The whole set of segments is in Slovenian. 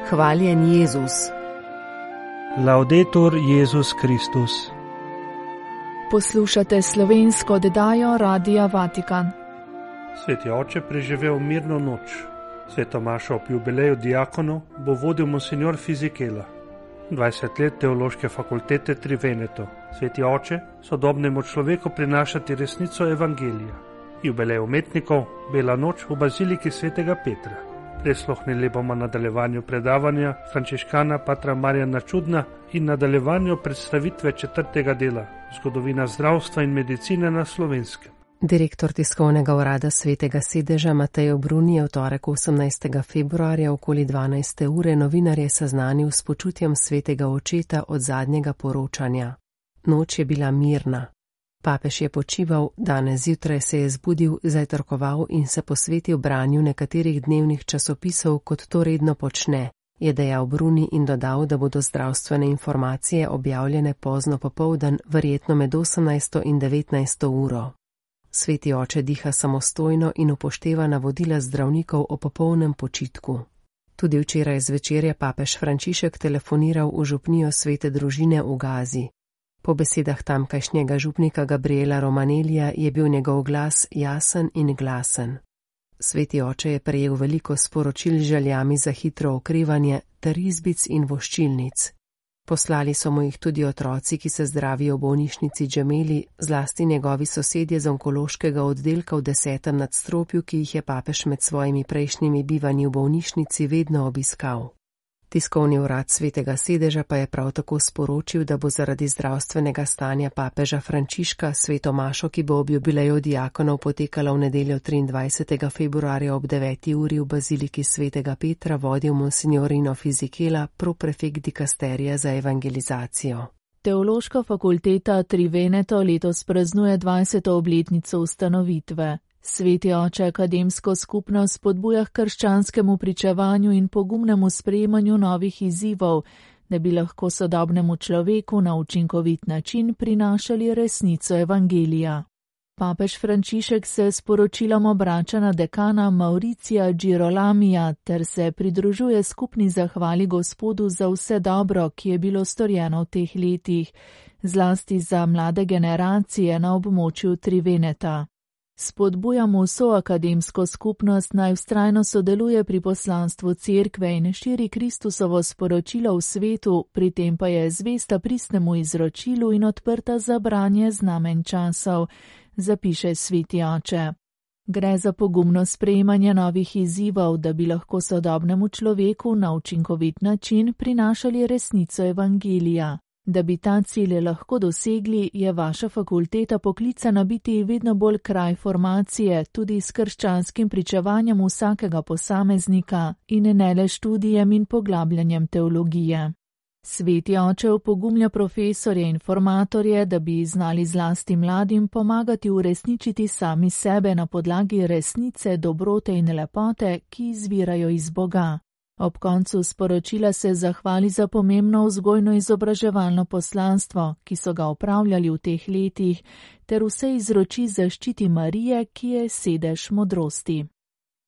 Hvaljen Jezus. Laudetur Jezus Kristus. Poslušate slovensko oddajo Radia Vatikan. Sveti oče preživel mirno noč. Sveto mašo ob jubileju diakonov bo vodil monsignor Fizikela. 20 let teološke fakultete Tri Veneto. Sveti oče sodobnemu človeku prinašati resnico evangelija. Jubilej umetnikov, Bela noč v baziliki svetega Petra. Prisluhnili bomo nadaljevanju predavanja frančiškana patra Marjana Čudna in nadaljevanju predstavitve 4. dela Zgodovina zdravstva in medicine na Slovenskem. Direktor tiskovnega urada Svetega sedeža Matej Obruni je v torek 18. februarja okoli 12. ure novinarje seznanil s počutjem svetega očeta od zadnjega poročanja. Noč je bila mirna. Papež je počival, danes zjutraj se je zbudil, zajtrkoval in se posvetil branju nekaterih dnevnih časopisov, kot to redno počne, je dejal Bruni in dodal, da bodo zdravstvene informacije objavljene pozno popoldan, verjetno med 18. in 19. uro. Sveti oče diha samostojno in upošteva navodila zdravnikov o popolnem počitku. Tudi včeraj zvečer je papež Frančišek telefoniral v župnijo Svete družine v Gazi. Po besedah tamkajšnjega župnika Gabriela Romanelija je bil njegov glas jasen in glasen. Sveti oče je prejel veliko sporočil z željami za hitro okrevanje ter izbic in voščilnic. Poslali so mu jih tudi otroci, ki se zdravijo v bolnišnici Džemeli, zlasti njegovi sosedje z onkološkega oddelka v 10. nadstropju, ki jih je papež med svojimi prejšnjimi bivanji v bolnišnici vedno obiskal. Tiskovni urad Svetega sedeža pa je prav tako sporočil, da bo zaradi zdravstvenega stanja papeža Frančiška sveto mašo, ki bo ob jubileju diakonov potekala v nedeljo 23. februarja ob 9. uri v baziliki Svetega Petra, vodil monsignorino Fizikela, proprefekt dikasterija za evangelizacijo. Teološka fakulteta Tri Veneto letos praznuje 20. obletnico ustanovitve. Sveti oče akademsko skupnost spodbuja k krščanskemu pričevanju in pogumnemu sprejemanju novih izzivov, da bi lahko sodobnemu človeku na učinkovit način prinašali resnico evangelija. Papež Frančišek se s poročilom obrača na dekana Mauricija Girolamija ter se pridružuje skupni zahvali Gospodu za vse dobro, ki je bilo storjeno v teh letih, zlasti za mlade generacije na območju Tri Veneta. Spodbujamo vso akademsko skupnost naj vztrajno sodeluje pri poslanstvu cerkve in širi Kristusovo sporočilo v svetu, pri tem pa je zvesta pristnemu izročilu in odprta za branje znamenj časov, zapiše sveti oče. Gre za pogumno sprejemanje novih izzivov, da bi lahko sodobnemu človeku na učinkovit način prinašali resnico evangelija. Da bi ta cilj lahko dosegli, je vaša fakulteta poklicana biti vedno bolj kraj formacije, tudi s krščanskim pričevanjem vsakega posameznika in ne le študijem in poglabljanjem teologije. Sveti oče opogumlja profesorje in formatorje, da bi znali zlasti mladim pomagati uresničiti sami sebe na podlagi resnice, dobrote in lepote, ki izvirajo iz Boga. Ob koncu sporočila se zahvali za pomembno vzgojno-izobraževalno poslanstvo, ki so ga opravljali v teh letih, ter vse izroči zaščiti Marije, ki je sedež modrosti.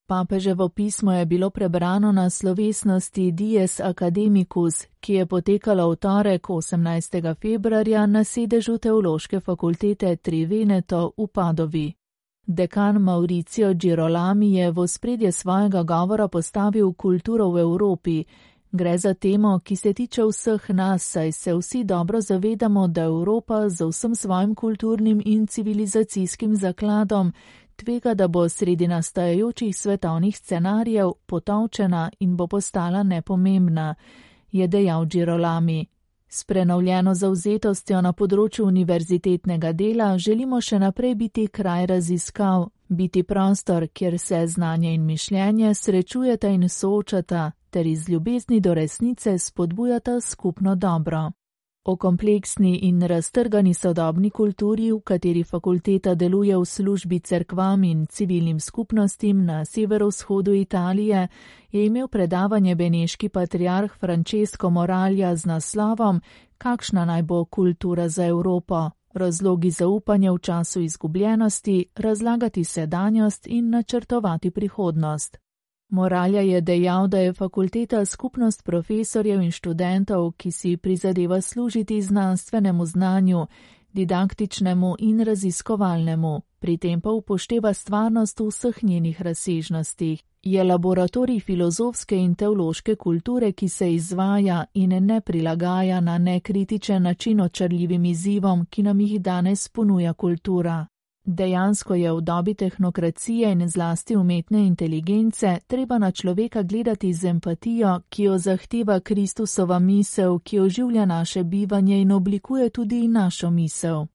Papeževo pismo je bilo prebrano na slovesnosti Dies Academicus, ki je potekala v torek 18. februarja na sedežu Teološke fakultete Tri Veneto v Padovi. Dekan Mauricio Girolami je v ospredje svojega govora postavil kulturo v Evropi. Gre za temo, ki se tiče vseh nas, saj se vsi dobro zavedamo, da Evropa z vsem svojim kulturnim in civilizacijskim zakladom tvega, da bo sredi nastajajočih svetovnih scenarijev potolčena in bo postala nepomembna, je dejal Girolami. S prenovljeno zavzetostjo na področju univerzitetnega dela želimo še naprej biti kraj raziskav, biti prostor, kjer se znanje in mišljenje srečujeta in soočata, ter iz ljubezni do resnice spodbujata skupno dobro. O kompleksni in raztrgani sodobni kulturi, v kateri fakulteta deluje v službi cerkvam in civilnim skupnostim na severovzhodu Italije, je imel predavanje beneški patriarh Francesco Moralja z naslovom Kakšna naj bo kultura za Evropo? Razlogi zaupanja v času izgubljenosti, razlagati sedanjost in načrtovati prihodnost. Moralja je dejal, da je fakulteta skupnost profesorjev in študentov, ki si prizadeva služiti znanstvenemu znanju, didaktičnemu in raziskovalnemu, pri tem pa upošteva stvarnost v vseh njenih razsežnostih. Je laboratorij filozofske in teološke kulture, ki se izvaja in ne prilagaja na nekritičen način očarljivim izzivom, ki nam jih danes ponuja kultura. Dejansko je v dobi tehnokracije in zlasti umetne inteligence treba na človeka gledati z empatijo, ki jo zahteva Kristusova misel, ki oživlja naše bivanje in oblikuje tudi našo misel.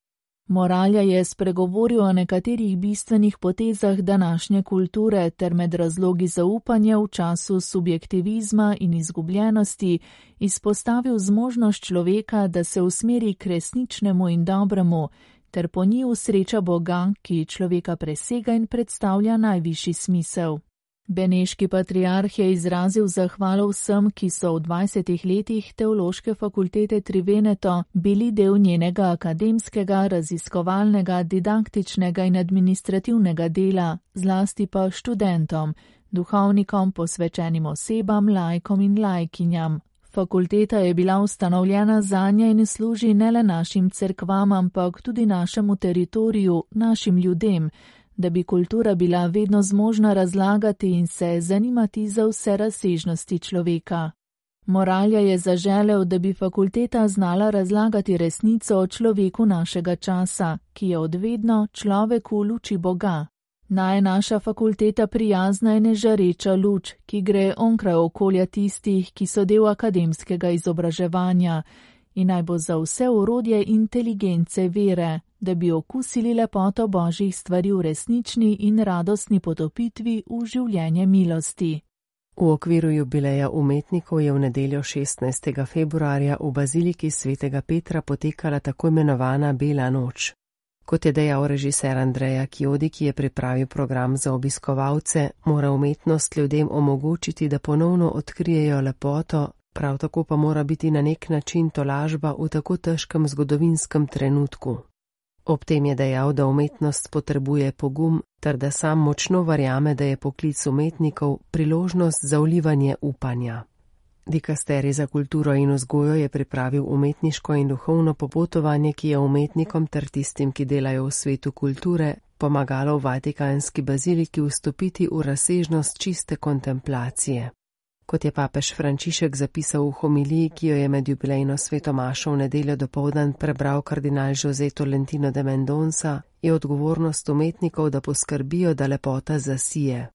Moralja je spregovoril o nekaterih bistvenih potezah današnje kulture ter med razlogi zaupanja v času subjektivizma in izgubljenosti izpostavil zmožnost človeka, da se usmeri k resničnemu in dobremu, ter po njiju sreča Boga, ki človeka presega in predstavlja najvišji smisel. Beneški patriarh je izrazil zahvalo vsem, ki so v 20 letih Teološke fakultete Tri Veneto bili del njenega akademskega, raziskovalnega, didaktičnega in administrativnega dela, zlasti pa študentom, duhovnikom, posvečenim osebam, laikom in laikinjam. Fakulteta je bila ustanovljena zanje in služi ne le našim cerkvam, ampak tudi našemu teritoriju, našim ljudem, da bi kultura bila vedno zmožna razlagati in se zanimati za vse razsežnosti človeka. Moralja je zaželel, da bi fakulteta znala razlagati resnico o človeku našega časa, ki je odvedno človek v luči Boga. Naj je naša fakulteta prijazna in žareča luč, ki gre onkraj okolja tistih, ki so del akademskega izobraževanja, in naj bo za vse orodje inteligence vere, da bi okusili lepoto Božjih stvari v resnični in radostni potopitvi v življenje milosti. V okviru jubileja umetnikov je v nedeljo 16. februarja v baziliki svetega Petra potekala tako imenovana Bela noč. Kot je dejal režiser Andreja Chiodi, ki je pripravil program za obiskovalce, mora umetnost ljudem omogočiti, da ponovno odkrijejo lepoto, prav tako pa mora biti na nek način tolažba v tako težkem zgodovinskem trenutku. Ob tem je dejal, da umetnost potrebuje pogum, ter da sam močno verjame, da je poklic umetnikov priložnost za vlivanje upanja. Dikasterij za kulturo in vzgojo je pripravil umetniško in duhovno popotovanje, ki je umetnikom ter tistim, ki delajo v svetu kulture, pomagalo v Vatikanski baziliki vstopiti v razsežnost čiste kontemplacije. Kot je papež Frančišek zapisal v homiliji, ki jo je med jubilejno sveto mašo v nedeljo dopoldan prebral kardinal José Tolentino de Mendonça, je odgovornost umetnikov, da poskrbijo, da lepota zasije.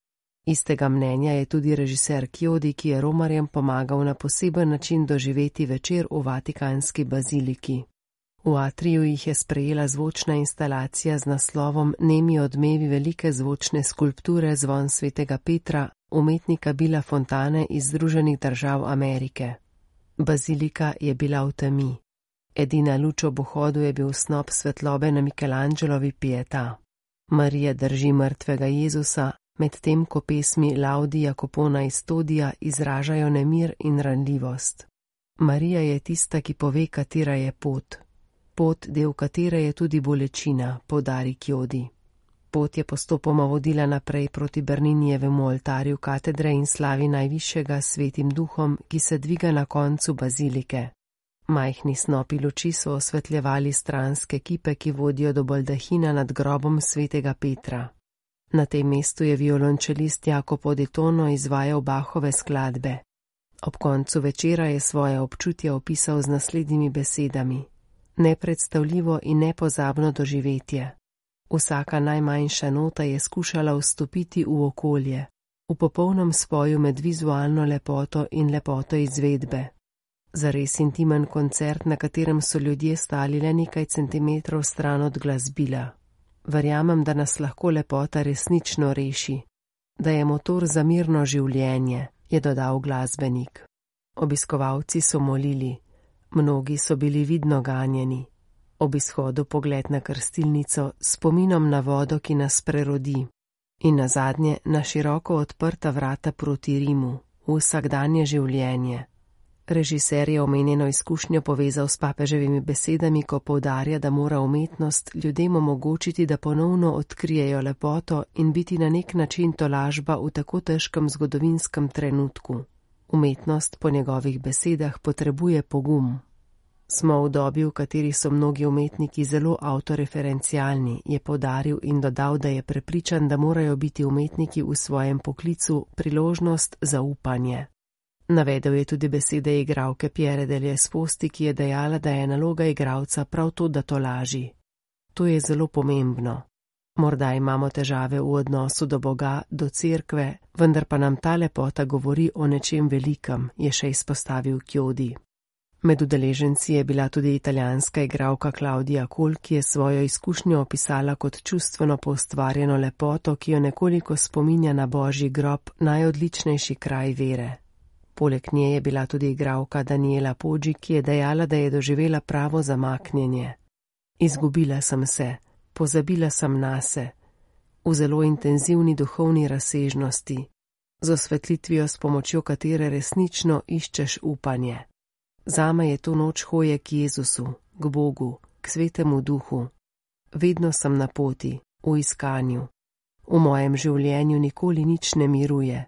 Istega mnenja je tudi režiser Chiodi, ki je romarjem pomagal na poseben način doživeti večer v Vatikanski baziliki. V atriju jih je sprejela zvočna instalacija z naslovom Nemi odmevi velike zvočne skulpture Zvon svetega Petra, umetnika Billa Fontane iz Združenih držav Amerike. Bazilika je bila v temi. Edina luč ob vhodu je bil snop svetlobe na Michelangelovi Pietà. Marija drži mrtvega Jezusa, medtem ko pesmi Laudi Jacopona iz Todija izražajo nemir in ranljivost. Marija je tista, ki pove, katera je pot. Pot, del katere je tudi bolečina, poudari Chiodi. Pot je postopoma vodila naprej proti Berninijevemu oltarju katedre in slavi najvišjega svetim duhom, ki se dviga na koncu bazilike. Majhni snopi luči so osvetljevali stranske kipe, ki vodijo do baldahina nad grobom svetega Petra. Na tem mestu je violončelist Jacopo de Tono izvajal Bachove skladbe. Ob koncu večera je svoje občutje opisal z naslednjimi besedami: nepredstavljivo in nepozabno doživetje. Vsaka najmanjša nota je skušala vstopiti v okolje, v popolnem spoju med vizualno lepoto in lepoto izvedbe. Zares intimen koncert, na katerem so ljudje stali le nekaj centimetrov stran od glasbila. Verjamem, da nas lahko lepota resnično reši, da je motor za mirno življenje, je dodal glasbenik. Obiskovalci so molili, mnogi so bili vidno ganjeni. Ob izhodu pogled na krstilnico s spominom na vodo, ki nas prerodi, in nazadnje na široko odprta vrata proti Rimu, v vsakdanje življenje. Režiser je omenjeno izkušnjo povezal s papeževimi besedami, ko poudarja, da mora umetnost ljudem omogočiti, da ponovno odkrijejo lepoto in biti na nek način tolažba v tako težkem zgodovinskem trenutku. Umetnost po njegovih besedah potrebuje pogum. Smo v dobi, v kateri so mnogi umetniki zelo avtoreferencialni, je poudaril in dodal, da je prepričan, da morajo biti umetniki v svojem poklicu priložnost za upanje. Navedel je tudi besede igralke Pierre Delesposti, ki je dejala, da je naloga igralca prav to, da tolaži. To je zelo pomembno. Morda imamo težave v odnosu do Boga, do cerkve, vendar pa nam ta lepota govori o nečem velikem, je še izpostavil Chiodi. Med udeleženci je bila tudi italijanska igralka Claudia Col, ki je svojo izkušnjo opisala kot čustveno poustvarjeno lepoto, ki jo nekoliko spominja na Božji grob, najodličnejši kraj vere. Poleg nje je bila tudi igralka Daniela Poggi, ki je dejala, da je doživela pravo zamaknjenje. Izgubila sem se, pozabila sem nase, v zelo intenzivni duhovni razsežnosti, z osvetlitvijo, s pomočjo katere resnično iščeš upanje. Zame je to noč hoje k Jezusu, k Bogu, k Svetemu Duhu. Vedno sem na poti, v iskanju. V mojem življenju nikoli nič ne miruje.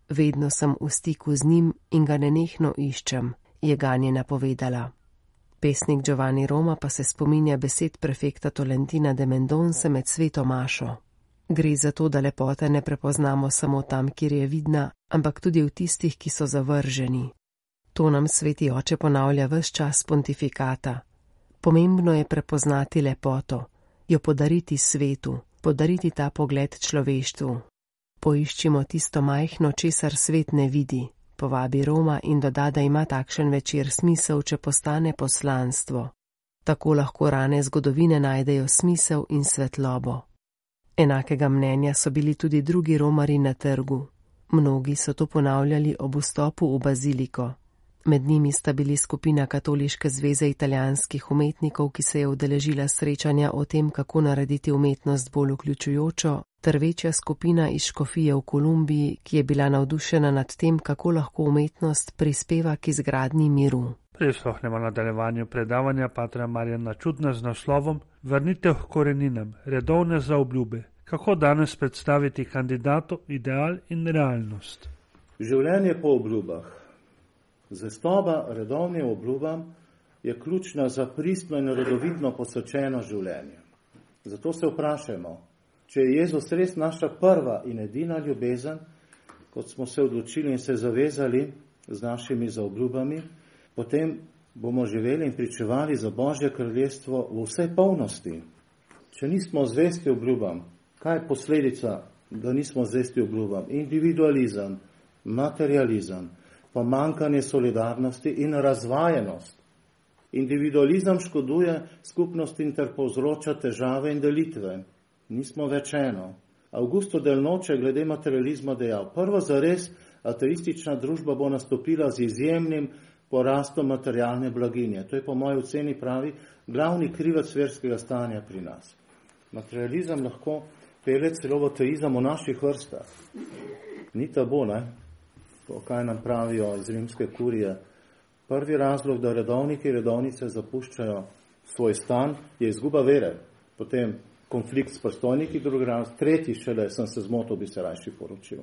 Vedno sem v stiku z njim in ga nenehno iščem, je ganjena povedala. Pesnik Giovanni Roma pa se spominja besed prefekta Tolentina de Mendonce med sveto mašo. Gre za to, da lepote ne prepoznamo samo tam, kjer je vidna, ampak tudi v tistih, ki so zavrženi. To nam sveti oče ponavlja ves čas pontifikata. Pomembno je prepoznati lepoto, jo podariti svetu, podariti ta pogled človeštvu. Poiščimo tisto majhno, česar svet ne vidi, povabi Roma in doda, da ima takšen večer smisel, če postane poslanstvo. Tako lahko rane zgodovine najdejo smisel in svetlobo. Enakega mnenja so bili tudi drugi romari na trgu. Mnogi so to ponavljali ob vstopu v baziliko. Med njimi sta bili skupina Katoliške zveze italijanskih umetnikov, ki se je udeležila srečanja o tem, kako narediti umetnost bolj vključujočo, ter večja skupina iz škofije v Kolumbiji, ki je bila navdušena nad tem, kako lahko umetnost prispeva k izgradnji miru. Prisluhnemo nadaljevanju predavanja patra Marjana Čudna z naslovom Vrnitev k koreninam, redovne zaobljube. Kako danes predstaviti kandidatu ideal in realnost? Življenje po obljubah. Zvestoba redovnim obljubam je ključna za pristno in redovitno posvečeno življenje. Zato se vprašajmo, če je Jezus res naša prva in edina ljubezen, kot smo se odločili in se zavezali z našimi zaobljubami, potem bomo živeli in pričevali za Božje kraljestvo v vsej polnosti. Če nismo zvesti obljubam, kaj je posledica, da nismo zvesti obljubam? Individualizem, materializem, pomanjkanje solidarnosti in razvajenost. Individualizem škoduje skupnosti in ter povzroča težave in delitve. Nismo več eno. Augusto del Noce glede materializma dejal, prva zares ateistična družba bo nastopila z izjemnim porastom materialne blaginje. To je po moji oceni pravi glavni krivec verskega stanja pri nas. Materializem lahko pelje celo v ateizem v naših vrstah. Ni tabu, ne? To, kaj nam pravijo iz rimske kurije. Prvi razlog, da redovniki in redovnice zapuščajo svoj stan, je izguba vere. Potem konflikt s predstojniki, drugi razlog, tretji šele, sem se zmotil, bi se rajši poročil.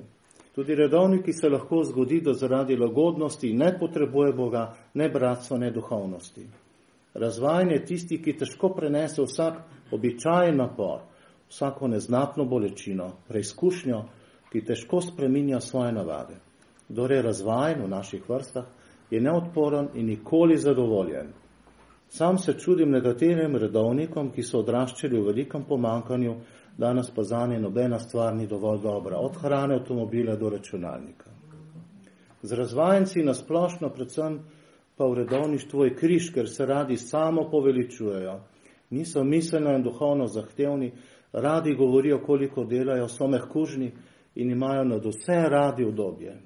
Tudi redovniki se lahko zgodi, da zaradi lagodnosti ne potrebuje Boga, ne bratstva, ne duhovnosti. Razvajanje tisti, ki težko prenese vsak običajen napor, vsako neznatno bolečino, preizkušnjo, ki težko spreminja svoje navade. Kdor je razvajen v naših vrstah, je neodporen in nikoli zadovoljen. Sam se čudim nekaterim redovnikom, ki so odraščali v velikem pomankanju, danes pa zanje nobena stvar ni dovolj dobra, od hrane, avtomobila do računalnika. Z razvajenci nasplošno, predvsem pa v redovništvu je križ, ker se radi samo poveličujejo. Niso miselno in duhovno zahtevni, radi govorijo, koliko delajo, so mehkužni in imajo nad vse radi udobje.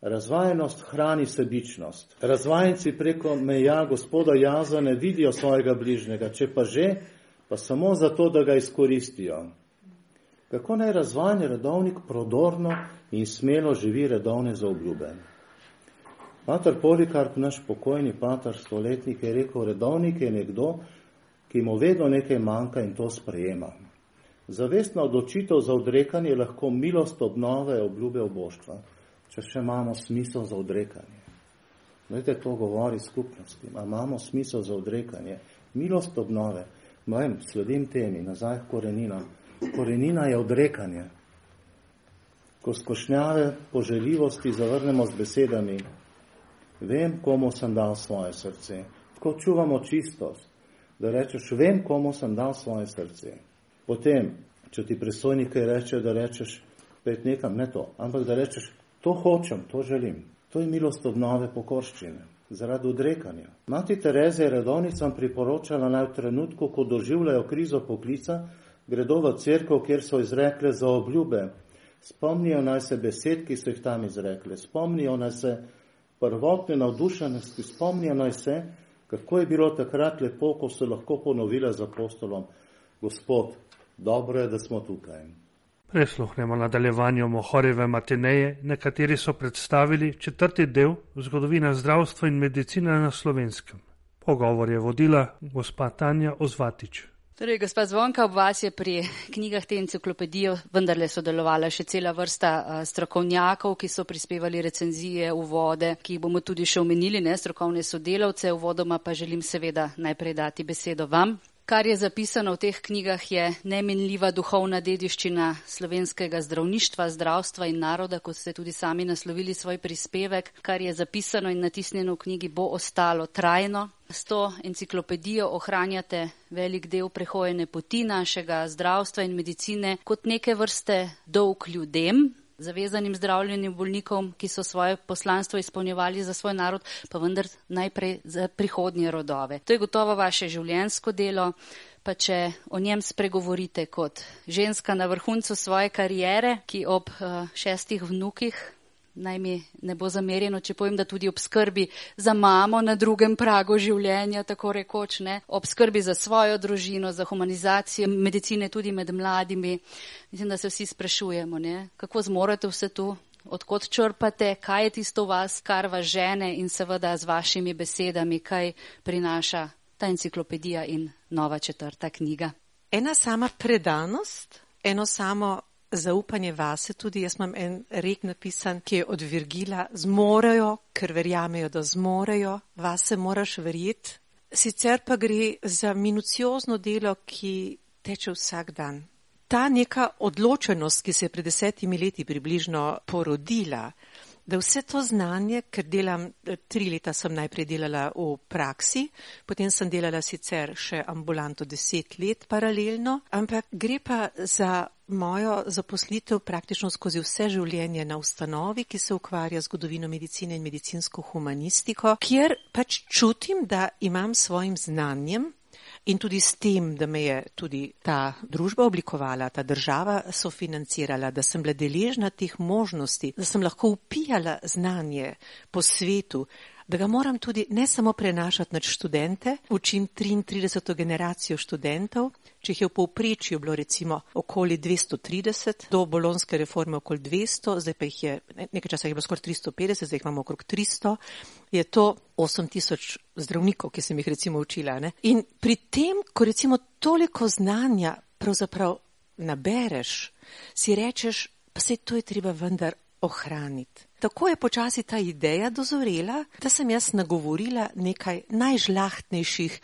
Razvajenost hrani sebičnost. Razvajenci preko meja gospoda Jaza ne vidijo svojega bližnjega, če pa že, pa samo zato, da ga izkoristijo. Kako naj razvajen redovnik prodorno in smelo živi redovne zaobljube? Pater Polikarp, naš pokojni pater stoletnik, je rekel, redovnik je nekdo, ki mu vedno nekaj manjka in to sprejema. Zavestna odločitev za odrekanje je lahko milost obnove obljube oboštva, če še imamo smisel za odrekanje. Glejte, to govori skupnosti, imamo smisel za odrekanje. Milost obnove, sledim temi, nazaj k koreninam. Korenina je odrekanje. Ko skošnjave poželjivosti zavrnemo z besedami, vem, komu sem dal svoje srce. Tako čuvamo čistost, da rečeš, vem, komu sem dal svoje srce. Potem, če ti predstojnik reče, da rečeš, pet nekam, ne to, ampak da rečeš, to hočem, to želim. To je milost obnove pokorščine, zaradi odrekanja. Mati Tereza je redovnicam priporočala naj v trenutku, ko doživljajo krizo poklica, gredo v cerkev, kjer so izrekle za obljube. Spomnijo naj se besed, ki so jih tam izrekle. Spomnijo naj se prvotne navdušenosti. Spomnijo naj se, kako je bilo takrat lepo, ko so lahko ponovile z apostolom. Gospod, dobro je, da smo tukaj. Prisluhnemo nadaljevanju Mohorjeve matineje, na kateri so predstavili 4. del zgodovina zdravstva in medicine na Slovenskem. Pogovor je vodila gospa Tanja Ozvatič. Torej, gospa Zvonka, ob vas je pri knjigah te enciklopedije vendarle sodelovala še cela vrsta strokovnjakov, ki so prispevali recenzije, uvode, ki jih bomo tudi še omenili, strokovne sodelavce. Uvodoma pa želim seveda najprej dati besedo vam. Kar je zapisano v teh knjigah, je neminljiva duhovna dediščina slovenskega zdravništva, zdravstva in naroda, kot ste tudi sami naslovili svoj prispevek. Kar je zapisano in natisnjeno v knjigi, bo ostalo trajno. S to enciklopedijo ohranjate velik del prehojene poti našega zdravstva in medicine kot neke vrste dolg ljudem, zavezanim zdravljenim bolnikom, ki so svoje poslanstvo izpolnjevali za svoj narod, pa vendar najprej za prihodnje rodove. To je gotovo vaše življenjsko delo, pa če o njem spregovorite kot ženska na vrhuncu svoje kariere, ki ob 6 vnukih, naj mi ne bo zamerjeno, če povem, da tudi ob skrbi za mamo na drugem pragu življenja, tako rekoč, ob skrbi za svojo družino, za humanizacijo medicine tudi med mladimi. Mislim, da se vsi sprašujemo, kako zmorete vse to, odkot črpate, kaj je tisto v vas, kar vas žene in seveda z vašimi besedami, kaj prinaša ta enciklopedija in nova 4. knjiga. Ena sama predanost, eno samo zaupanje vase, tudi jaz imam en rek napisan, ki je od Virgila, zmorejo, ker verjamejo, da zmorejo, vase moraš verjeti. Sicer pa gre za minuciozno delo, ki teče vsak dan. Ta neka odločenost, ki se je pred 10 leti približno porodila, da vse to znanje, ker delam, 3 leta sem najprej delala v praksi, potem sem delala sicer še ambulanto 10 let paralelno, ampak gre pa za mojo zaposlitev praktično skozi vse življenje na ustanovi, ki se ukvarja z zgodovino medicine in medicinsko humanistiko, kjer pač čutim, da imam svojim znanjem in tudi s tem, da me je tudi ta družba oblikovala, ta država sofinancirala, da sem bila deležna teh možnosti, da sem lahko vpijala znanje po svetu, da ga moram tudi ne samo prenašati nad študente, učim 33. generacijo študentov, če jih je v povprečju bilo recimo okoli 230, do bolonske reforme okoli 200, zdaj pa jih je, nekaj časa jih je bilo skoraj 350, zdaj jih imamo okrog 300, je to 8000 zdravnikov, ki sem jih recimo učila. In pri tem, ko recimo toliko znanja pravzaprav nabereš, si rečeš, pa saj to je treba vendar ohraniti. Tako je počasi ta ideja dozorela, da sem jaz nagovorila nekaj najžlahtnejših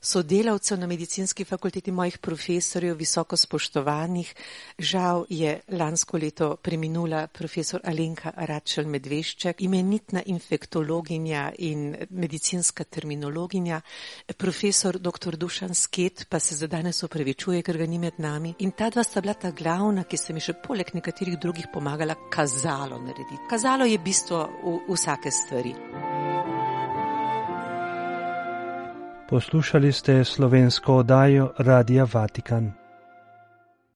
sodelavcev na medicinski fakulteti, mojih profesorjev, visoko spoštovanih. Žal je lansko leto preminula profesor Alenka Račelj Medvešček, imenitna infektologinja in medicinska terminologinja, profesor dr. Dušan Sket, pa se za danes opravičuje, ker ga ni med nami. In ta dva sta bila ta glavna, ki se mi še poleg nekaterih drugih pomagala kazalo narediti. Kazalo je bistvo vsake stvari. Poslušali ste slovensko oddajo Radia Vatikan.